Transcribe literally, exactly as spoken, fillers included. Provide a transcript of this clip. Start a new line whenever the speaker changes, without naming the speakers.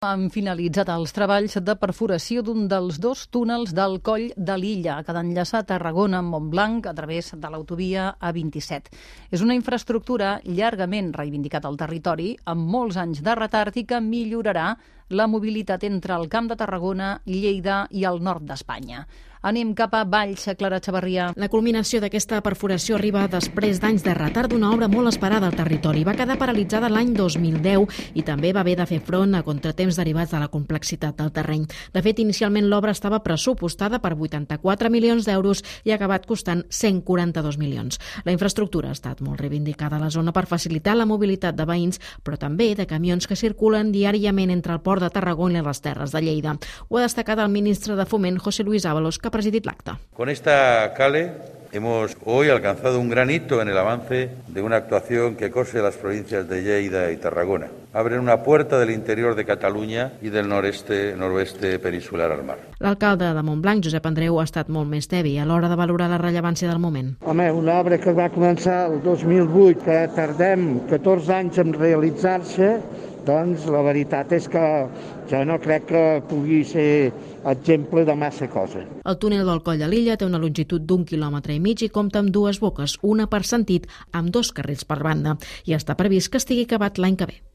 Han finalitzat els treballs de perforació d'un dels dos túnels del Coll de l'Illa, que ha d'enllaçar Tarragona amb Montblanc a través de l'autovia A vint-i-set. És una infraestructura llargament reivindicat al territori, amb molts anys de retard i que millorarà la mobilitat entre el Camp de Tarragona, Lleida i el nord d'Espanya. Anem cap a Valls, Clara Chavarria.
La culminació d'aquesta perforació arriba després d'anys de retard d'una obra molt esperada al territori. Va quedar paralitzada l'any dos mil deu i també va haver de fer front a contratemps derivats de la complexitat del terreny. De fet, inicialment l'obra estava pressupostada per vuitanta-quatre milions d'euros i ha acabat costant cent quaranta-dos milions. La infraestructura ha estat molt reivindicada a la zona per facilitar la mobilitat de veïns, però també de camions que circulen diàriament entre el port de Tarragona i les Terres de Lleida. Ho ha destacat el ministre de Foment, José Luis Ábalos, que ha presidit l'acte.
Con esta cale hemos hoy alcanzado un gran hito en el avance de una actuación que cose las provincias de Lleida y Tarragona. Abren una puerta del interior de Catalunya i del noreste, noroeste peninsular al mar.
L'alcalde de Montblanc, Josep Andreu, ha estat molt més tebi a l'hora de valorar la rellevància del moment.
Home, una obra que va començar el dos mil vuit, que tardem catorze anys en realitzar-se, doncs la veritat és que jo no crec que pugui ser exemple de massa cosa.
El túnel del Coll de l'Illa té una longitud d'un quilòmetre i mig i compta amb dues boques, una per sentit, amb dos carrils per banda, i està previst que estigui acabat l'any que ve.